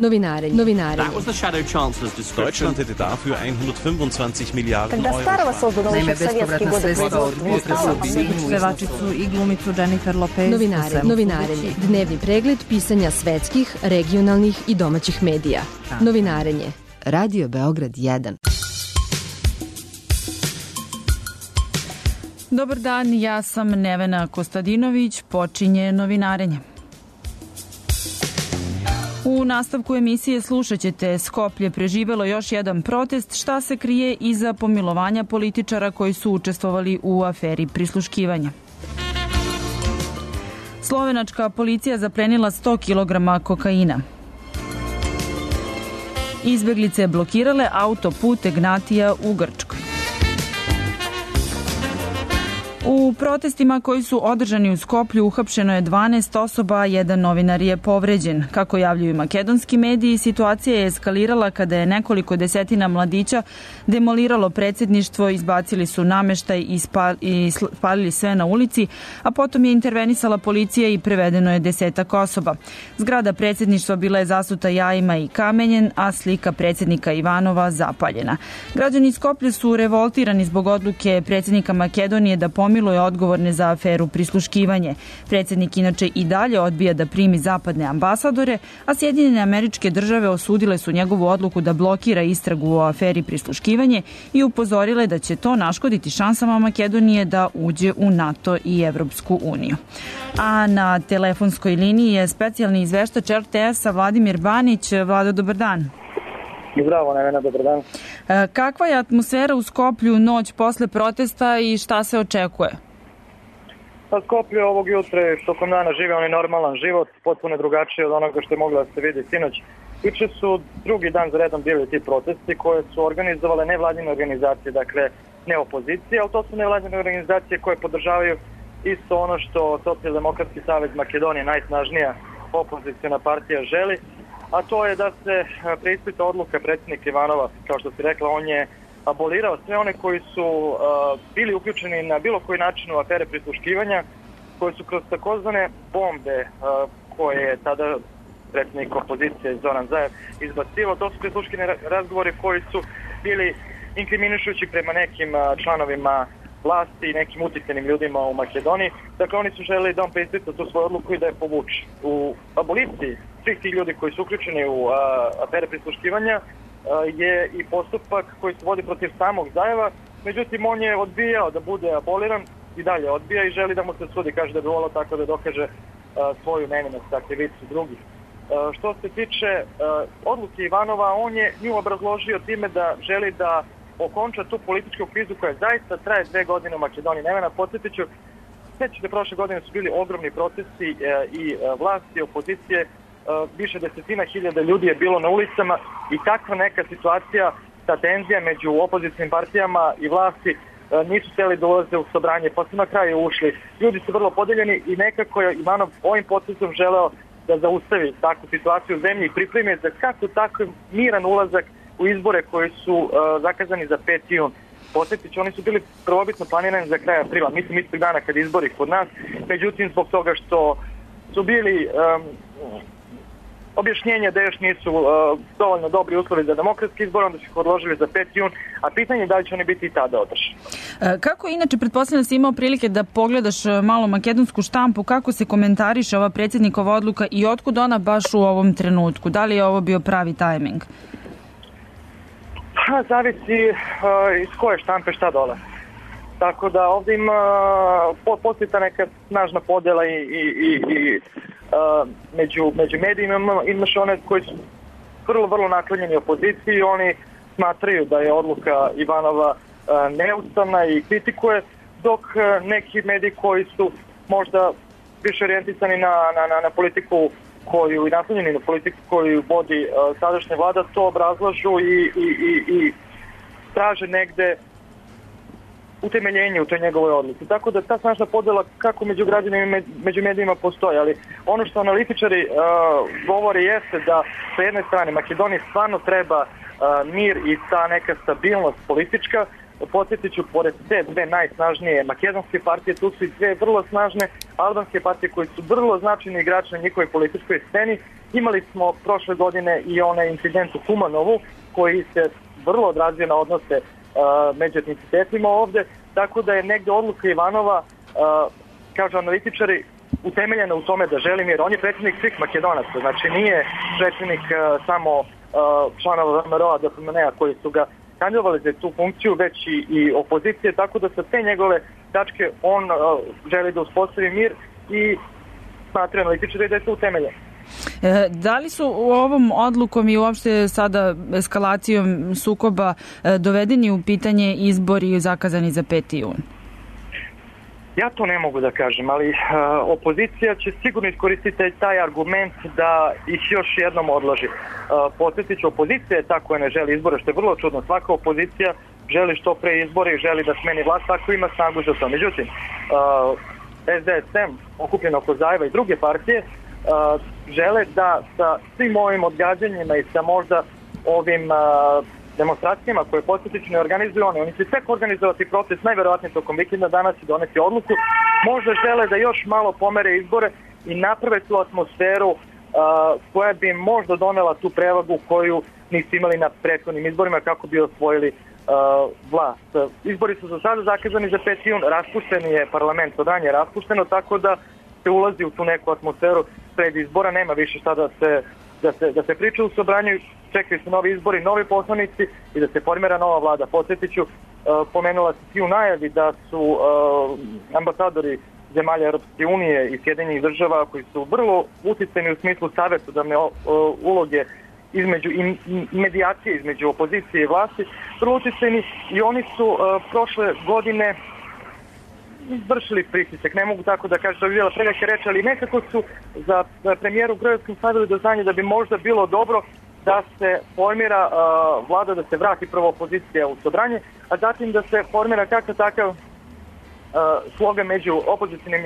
Novinarenje. Deutschland hätte dafür 125 Miliarden Euro. Naime, bespovratna sredstva od pevačicu i glumicu Jennifer Lopez. Novinarenje. Dnevni pregled pisanja svetskih, regionalnih i domaćih medija. Novinarenje. Radio Beograd 1. Dobar dan, ja sam Nevena Kostadinović, počinje novinarenje. U nastavku emisije slušat ćete: Skoplje preživelo još jedan protest, šta se krije iza pomilovanja političara koji su učestvovali u aferi prisluškivanja. Slovenačka policija zaplenila 100 kg kokaina. Izbeglice blokirale autoput Egnatija u Grčkoj. U protestima koji su održani u Skoplju uhapšeno je 12 osoba, jedan novinar je povređen. Kako javljaju makedonski mediji, situacija je eskalirala kada je nekoliko desetina mladića demoliralo predsjedništvo, izbacili su nameštaj i spalili sve na ulici, a potom je intervenisala policija i prevedeno je 10 osoba. Zgrada predsjedništva bila je zasuta jajima i kamenjem, a slika predsjednika Ivanova zapaljena. Građani Skoplja su revoltirani zbog odluke predsjednika Makedonije da pomiluje odgovorne za aferu prisluškivanje. Predsjednik inače i dalje odbija da primi zapadne ambasadore, a Sjedinjene Američke Države osudile su njegovu odluku da blokira istragu o aferi prisluškivanje i upozorile da će to naškoditi šansama Makedonije da uđe u NATO i Evropsku uniju. A na telefonskoj liniji je specijalni izveštač RTS-a Vladimir Banić. Vlado, dobar dan. Zdravo, Nevena, dobar dan. Kakva je atmosfera u Skoplju noć posle protesta i šta se očekuje? Skoplje ovog jutra tokom dana žive onaj normalan život, potpuno drugačije od onoga što je moglo da se vidi sinoć. Juče su drugi dan za redom bili ti protesti koje su organizovale nevladine organizacije, dakle ne opozicije, ali to su nevladine organizacije koje podržavaju isto ono što Socijaldemokratski savez Makedonije, najsnažnija opozicijona partija, želi, a to je da se preispita odluka predsjednika Ivanova. Kao što si rekla, on je abolirao sve one koji su bili uključeni na bilo koji način u afere prisluškivanja, koji su kroz takozvane bombe koje je tada predsjednik opozicije Zoran Zaev izbacivao. To su prisluškivani razgovori koji su bili inkriminišući prema nekim članovima vlasti i nekim uticajnim ljudima u Makedoniji. Dakle, oni su želeli da on preispita tu svoju odluku i da je povuče. U aboliciji svih tih ljudi koji su uključeni u afere prisluškivanja je i postupak koji se vodi protiv samog Zajeva, međutim on je odbijao da bude aboliran i dalje odbija i želi da mu se sudi, kaže da bi volao tako da dokaže svoju nevinost, dakle krivicu drugih. Što se tiče odluke Ivanova, on je nju obrazložio time da želi da okonča tu političku krizu koja zaista traje 2 godine u Makedoniji. Nevena, podsjetit ću, sveći da prošle godine su bili ogromni protesti i vlasti i opozicije, više desetina hiljada ljudi je bilo na ulicama i takva neka situacija, ta tenzija među opozicijnim partijama i vlasti nisu htjeli da ulaze u sobranje, pa su na kraju ušli. Ljudi su vrlo podeljeni i nekako je Ivanov ovim potezom želeo da zaustavi takvu situaciju u zemlji i pripremi za kako tako miran ulazak u izbore koji su zakazani za 5. jun. Podsjetit ću, oni su bili prvobitno planirani za kraj aprila, mislim istog dana kad izbori kod nas, međutim zbog toga što su bili objašnjenja da još nisu dovoljno dobri uslovi za demokratski izbor, onda su ih odložili za 5. jun, a pitanje je da li će oni biti i tada održani. Kako inače, pretpostavljam da si imao prilike da pogledaš malo makedonsku štampu, kako se komentariše ova predsjednikova odluka i otkud ona baš u ovom trenutku? Da li je ovo bio pravi tajming? Zavisi iz koje štampe šta dole. Tako da ovdje ima postoji ta neka snažna podjela i među medijima. Imaš one koji su vrlo naklonjeni opoziciji, oni smatraju da je odluka Ivanova neustavna i kritikuje, dok neki mediji koji su možda više orijentisani na politiku koju i naslonjeni na politiku koju vodi sadašnja vlada, to obrazlažu i traže negde utemeljenje u toj njegovoj odluci. Tako da ta snažna podjela kako među građanima i među medijima postoji, ali ono što analitičari govore jeste da sa jedne strane Makedoniji stvarno treba mir i ta neka stabilnost politička. Podsjetit ću, pored te dve najsnažnije makedonske partije, tu su i dve vrlo snažne albanske partije koji su vrlo značajni igrači na njihovoj političkoj sceni Imali smo prošle godine i onaj incident u Kumanovu koji se vrlo odrazio na odnose među etnicitetima ovde, tako da je negde odluka Ivanova, kažu analitičari, utemeljena u tome da želi mir. On je predsjednik svih Makedonaca, znači nije predsjednik samo članova VMRO-a, DPMNE-a koji su ga kandidovali za tu funkciju, već i opozicije, tako da sa te njegove tačke on želi da uspostavi mir i smatra analitičari da je to utemeljeno. Da li su ovom odlukom i uopšte sada eskalacijom sukoba dovedeni u pitanje izbori zakazani za 5. jun? Ja to ne mogu da kažem, ali opozicija će sigurno iskoristiti taj argument da ih još jednom odloži. Podsjetit ću, opozicija je ta koja ne želi izbore, što je vrlo čudno. Svaka opozicija želi što pre izbore i želi da smeni vlast, tako ima snagu za to. Međutim, SDSM, okupljeno oko Zajeva i druge partije, žele da sa svim ovim odgađanjima i sa možda ovim demonstracijama koje podsjetično ne organizuju oni će tek organizovati protest najverovatnije tokom vikenda danas i doneti odluku. Možda žele da još malo pomere izbore i naprave tu atmosferu koja bi možda donela tu prevagu koju nisu imali na prethodnim izborima kako bi osvojili vlast. Izbori su za sada zakazani za 5. jun, raspušten je parlament, odanje je raspušteno, tako da se ulazi u tu neku atmosferu pred izbora, nema više šta da se priča u Sobranju, čekaju se novi izbori, novi poslanici i da se formira nova vlada. Podsjetit ću, pomenula se i u najavi da su ambasadori zemalja Europske unije i Sjedinjenih država koji su vrlo uticajni u smislu savjetodavne uloge između i medijacije između opozicije i vlasti, vrlo uticajni i oni su prošle godine izvršili pritisak, ne mogu tako da kažem da bi bila prevelike reči, ali nekako su za premijeru Grojevskom stavili do znanja da bi možda bilo dobro da se formira vlada, da se vrati prvo opozicija u Sobranje, a zatim da se formira kakav takav sloga među opozicijnim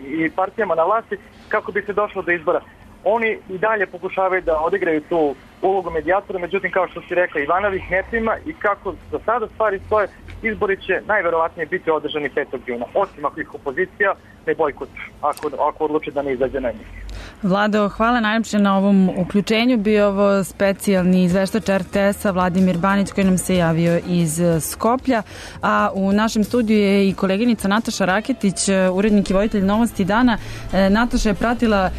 i partijama na vlasti kako bi se došlo do izbora. Oni i dalje pokušavaju da odigraju tu ulogu medijatora, međutim, kao što si rekla, Ivanov ih ne prima i kako za sada stvari stoje, izbori će najverovatnije biti održani 5. juna, osim ako ih opozicija ne bojkot, ako odluči da ne izađe na njih. Vlado, hvala najljepše na ovom uključenju. Bio ovo specijalni izveštač RTS-a Vladimir Banić koji nam se javio iz Skoplja, a u našem studiju je i koleginica Nataša Raketić, urednik i voditelj Novosti dana. Nataša je pratila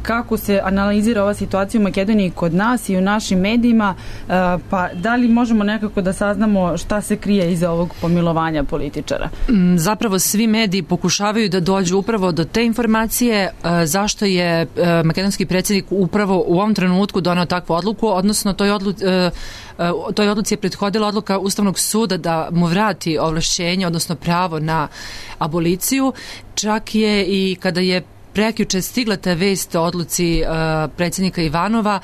kako se analizira ova situacija u Makedoniji kod nas i u našim medijima, pa da li možemo nekako da saznamo šta se krije iza ovog pomilovanja političara? Zapravo svi mediji pokušavaju da dođu upravo do te informacije zašto je makedonski predsjednik upravo u ovom trenutku doneo takvu odluku, odnosno toj odluci je prethodila odluka Ustavnog suda da mu vrati ovlašćenje, odnosno pravo na aboliciju. Čak je i kada je prekjuče stigla ta vest o odluci predsjednika Ivanova,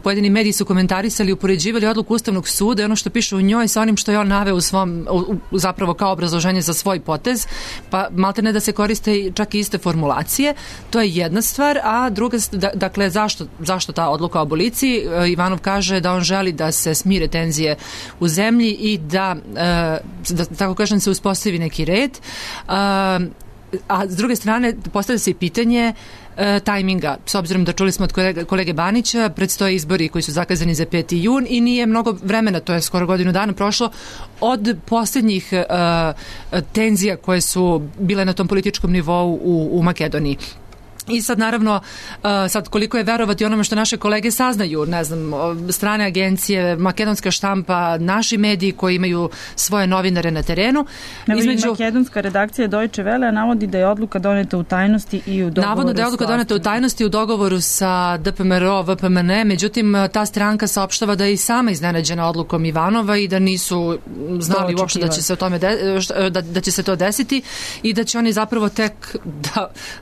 pojedini mediji su komentarisali i upoređivali odluku Ustavnog suda i ono što piše u njoj sa onim što je on naveo u svom, zapravo kao obrazloženje za svoj potez, pa maltene da se koriste čak i iste formulacije. To je jedna stvar, a druga, dakle, zašto ta odluka o aboliciji? Ivanov kaže da on želi da se smire tenzije u zemlji i da tako kažem, se uspostavi neki red. A s druge strane postavlja se i pitanje tajminga, s obzirom da čuli smo od kolege Banića, predstoje izbori koji su zakazani za 5. jun i nije mnogo vremena, to je skoro godinu dana prošlo od posljednjih tenzija koje su bile na tom političkom nivou u Makedoniji. I sad naravno, sad koliko je verovati onome što naše kolege saznaju, ne znam, strane agencije, makedonska štampa, naši mediji koji imaju svoje novinare na terenu. Makedonska redakcija Deutsche Welle navodi da je odluka doneta u tajnosti i u dogovoru. Navodno da je odluka doneta u tajnosti u dogovoru sa DPMRO, VPMNE, međutim ta stranka saopštava da je i sama iznenađena odlukom Ivanova i da nisu znali uopšte da će se o tome da će se to desiti i da će oni zapravo tek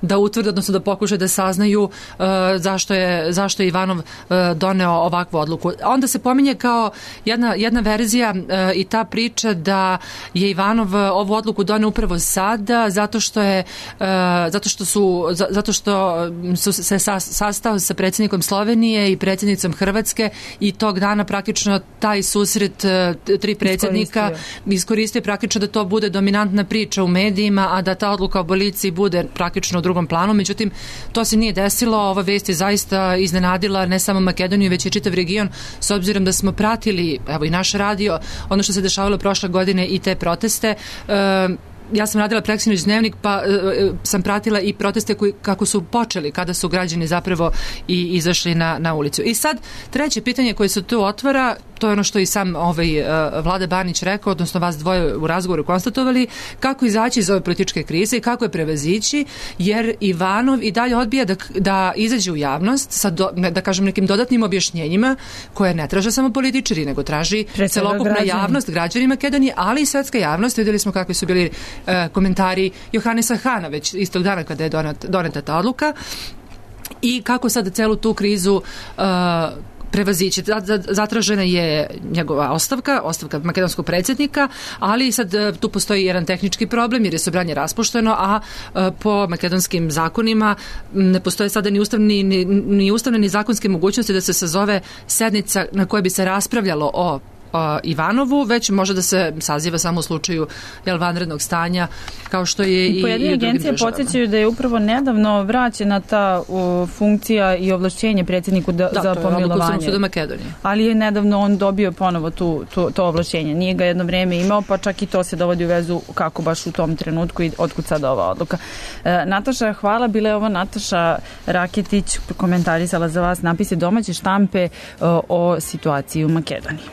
da utvrde, odnosno da pokušaju da saznaju zašto je Ivanov doneo ovakvu odluku. Onda se pominje kao jedna verzija i ta priča da je Ivanov ovu odluku doneo upravo sada zato što su se sastao sa predsjednikom Slovenije i predsjednicom Hrvatske i tog dana praktično taj susret tri predsjednika iskoristio praktično da to bude dominantna priča u medijima, a da ta odluka o aboliciji bude praktično u drugom planu. Međutim, to se nije desilo. Ova vest je zaista iznenadila ne samo Makedoniju, već i čitav region, s obzirom da smo pratili, evo i naš radio, ono što se dešavalo prošle godine i te proteste. Ja sam radila preksinoć dnevnik, pa sam pratila i proteste kako su počeli, kada su građani zapravo i izašli na ulicu. I sad, treće pitanje koje se tu otvara, to je ono što i sam Vlada Banić rekao, odnosno vas dvoje u razgovoru konstatovali, kako izaći iz ove političke krize i kako je prevazići, jer Ivanov i dalje odbija da izađe u javnost sa, da kažem, nekim dodatnim objašnjenjima koje ne traže samo političari, nego traži celokupna javnost, građani Makedonije, ali i svetska javnost. Vidjeli smo kakvi su bili komentari Johanesa Hana već istog dana kada je doneta ta odluka i kako sad celu tu krizu prevazići. Zatražena je njegova ostavka makedonskog predsjednika, ali sad tu postoji jedan tehnički problem jer je Sobranje raspušteno, a po makedonskim zakonima ne postoje sada ni ustavne ni zakonske mogućnosti da se sazove sednica na kojoj bi se raspravljalo o Ivanovu, već može da se saziva samo u slučaju vanrednog stanja, kao što je i pojedine agencije podsjećaju da je upravo nedavno vraćena ta funkcija i ovlašćenje predsjedniku za pomilovanje. Ali je nedavno on dobio ponovo to ovlašćenje. Nije ga jedno vrijeme imao, pa čak i to se dovodi u vezu kako baš u tom trenutku i otkud sada ova odluka. Nataša, hvala. Bila je ovo Nataša Raketić, komentarisala za vas napise domaće štampe o situaciji u Makedoniji.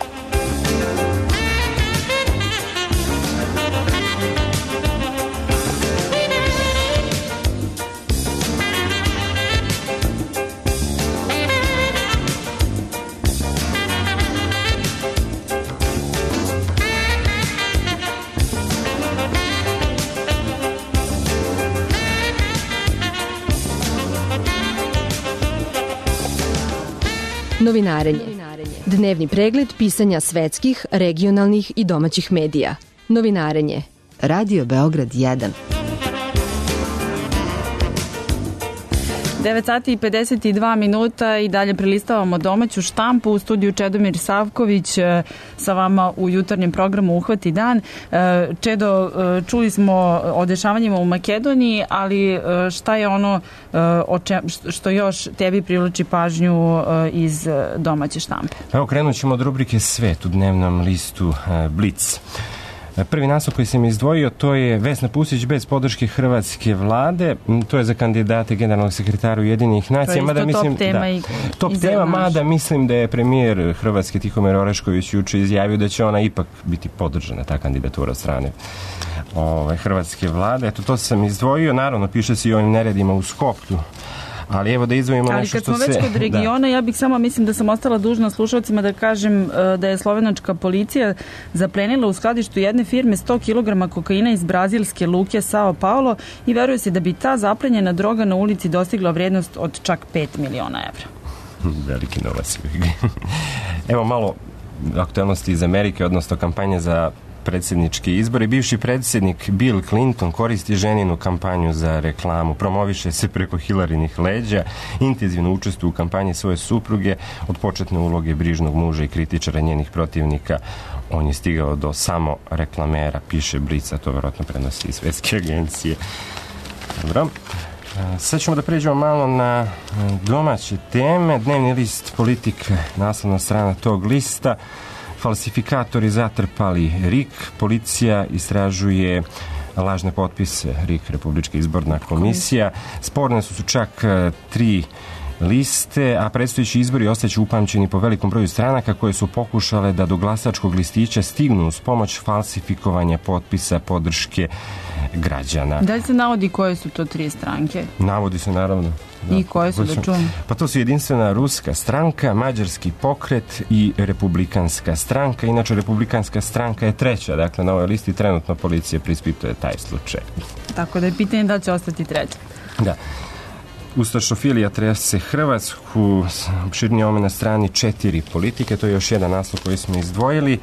Novinarenje. Dnevni pregled pisanja svetskih, regionalnih i domaćih medija. Novinarenje. Radio Beograd 1. 9 sati i 52 minuta i dalje prelistavamo domaću štampu. U studiju Čedomir Savković sa vama u jutarnjem programu Uhvati dan. Čedo, čuli smo o dešavanjima u Makedoniji, ali šta je ono što još tebi privlači pažnju iz domaće štampe? Evo, krenut ćemo od rubrike Svet u dnevnom listu Blic. Prvi naslov koji sam izdvojio, to je Vesna Pusić bez podrške hrvatske vlade. To je za kandidate generalnog sekretara Ujedinjenih nacija. To je isto top tema. Top tema, mada mislim da je premijer Hrvatske Tihomir Orešković juče izjavio da će ona ipak biti podržana, ta kandidatura od strane hrvatske vlade. Eto, to sam izdvojio. Naravno, piše se i o ovim neredima u Skoplju. Ali evo da izdvojimo nešto što se... Ali kad smo već kod regiona, ja bih samo, mislim da sam ostala dužna slušalcima da kažem da je slovenačka policija zaplenila u skladištu jedne firme 100 kg kokaina iz brazilske luke Sao Paulo i veruje se da bi ta zaplenjena droga na ulici dostigla vrijednost od čak 5 miliona evra. Veliki novac. Evo malo aktualnosti iz Amerike, odnosno kampanje za predsjednički izbori. Bivši predsjednik Bill Clinton koristi ženinu kampanju za reklamu, promoviše se preko Hillarynih leđa, intenzivno učestvuje u kampanji svoje supruge, od početne uloge brižnog muža i kritičara njenih protivnika. On je stigao do samo reklamera, piše Blic, a to vjerojatno prenosi iz svetske agencije. Dobro. Sad ćemo da pređemo malo na domaće teme. Dnevni list Politika, naslovna strana tog lista. Falsifikatori zatrpali RIK, policija istražuje lažne potpise, RIK, Republička izborna komisija. Sporne su čak 3 liste, a predstojeći izbori ostaće upamćeni po velikom broju stranaka koje su pokušale da do glasačkog listića stignu uz pomoć falsifikovanja potpisa podrške građana. Da li se navodi koje su to 3 stranke? Navodi se, naravno. I koje su, da čujem? Pa to su Jedinstvena ruska stranka, Mađarski pokret i Republikanska stranka. Inače, Republikanska stranka je 3. Dakle, na ovoj listi trenutno policija preispituje taj slučaj. Tako da je pitanje da će ostati 3. Da. Ustašofilija trese Hrvatsku, opširnije ome na strani 4 politike, to je još jedan naslov koji smo izdvojili.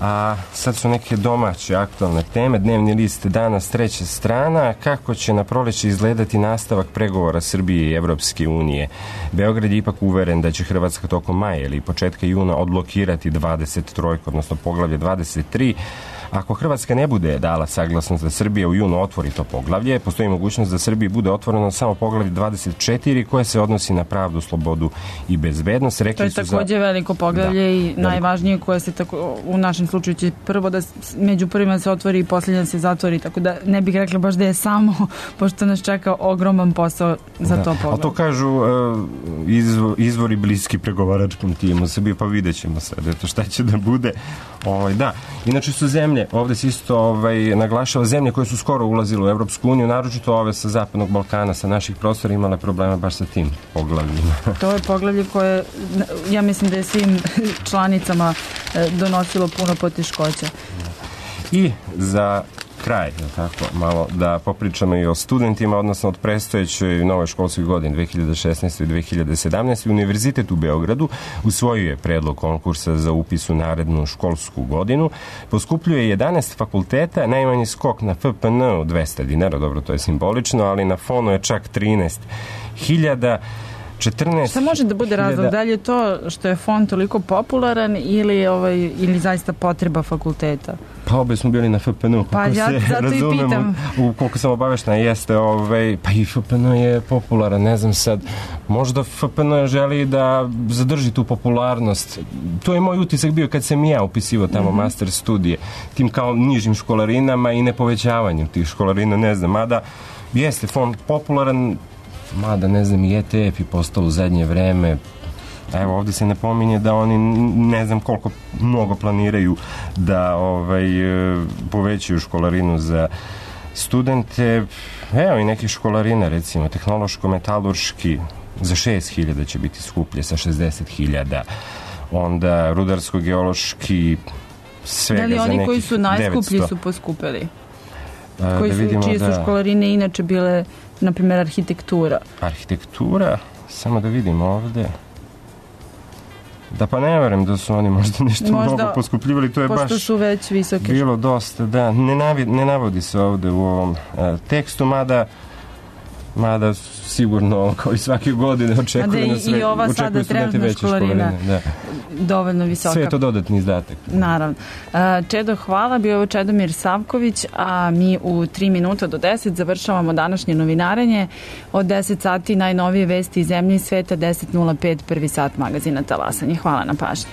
A sad su neke domaće aktualne teme. Dnevni list danas 3. strana. Kako će na proleće izgledati nastavak pregovora Srbije i Evropske unije? Beograd je ipak uveren da će Hrvatska tokom maja ili početka juna odblokirati 23, odnosno poglavlje 23, Ako Hrvatska ne bude dala saglasnost da Srbija u junu otvori to poglavlje, postoji mogućnost da Srbiji bude otvoreno samo poglavlje 24 koje se odnosi na pravdu, slobodu i bezbednost. To je takođe veliko poglavlje i najvažnije koje se u našem slučaju će prvo da među prvima se otvori i posljednja se zatvori, tako da ne bih rekla baš da je samo, pošto nas čeka ogroman posao za to poglavlje. A to kažu izvori bliski pregovaračkom timu Srbije, pa vidjet ćemo sad šta će da bude. Da, inače su zemlje, ovde se isto naglašava zemlje koje su skoro ulazile u Evropsku uniju, naročito ove sa Zapadnog Balkana, sa naših prostora imale problema baš sa tim poglavljima. To je poglavlje koje, ja mislim da je svim članicama donosilo puno poteškoća. I za kraj, tako, malo da popričamo i o studentima, odnosno od predstojećoj nove školskoj godine 2016. i 2017. Univerzitet u Beogradu usvojio je predlog konkursa za upis u narednu školsku godinu. Poskupljuje 11 fakulteta, najmanji skok na FPN od 200 dinara, dobro, to je simbolično, ali na fonu je čak 13.000. Šta može da bude razlog? Da li je to što je fond toliko popularan ili zaista potreba fakulteta? Pa obe smo bili na FPN-u, pa ja zato i pitam. Koliko sam obaveštena jeste, pa i FPN je popularan, ne znam sad, možda FPN želi da zadrži tu popularnost. To je moj utisak bio kad sam i ja upisivao tamo master studije, tim kao nižim školarinama i nepovećavanjem tih školarina, ne znam, mada jeste fond popularan, mada ne znam i ETF i postao u zadnje vreme. Evo, ovdje se ne pominje da oni ne znam koliko mnogo planiraju da povećaju školarinu za studente. Evo i neke školarine, recimo tehnološko-metalurški za 6.000 će biti skuplje sa 60.000. Onda rudarsko-geološki svega za nekih 900. Da li oni koji su najskuplji su poskupili? Čije su školarine inače bile, na primjer, arhitektura? Arhitektura? Samo da vidim ovde. Da, pa ne verujem da su oni možda nešto mnogo poskupljivali, to je baš pošto su već visoke bilo dosta, da, ne navodi se ovde u ovom tekstu, mada sigurno kao i svake godine očekuje na sve, očekuje studenti veće školarine. Da. Dovoljno visoka. Sve je to dodatni izdatak. Naravno. Čedo, hvala. Bio je Čedomir Savković, a mi u 3 minuta do 10 završavamo današnje novinarenje. Od 10 sati najnovije vesti iz zemlje i sveta, 10.05 prvi sat magazina Talasanje. Hvala na pažnji.